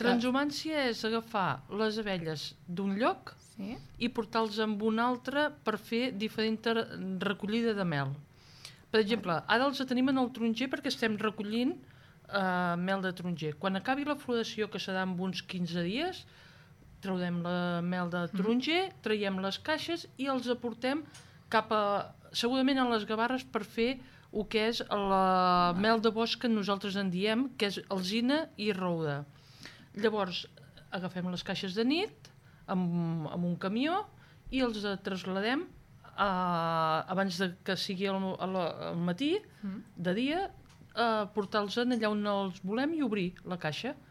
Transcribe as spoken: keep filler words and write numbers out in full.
Transhumància és agafar les abelles d'un lloc Sí. i portar-los amb un altre per fer diferent recollida de mel. Per exemple, ara els tenim en el taronger perquè estem recollint eh, mel de taronger. Quan acabi la floració, que serà en uns quinze dies, traurem la mel de taronger, traiem les caixes i els aportem cap a, segurament a les Gavarres, per fer el que és la mel de bosc que nosaltres en diem, que és alzina i roure. Llavors, agafem les caixes de nit amb, amb un camió i els trasladem a, abans de que sigui al, al matí, de dia, a portar-los allà on els volem i obrir la caixa.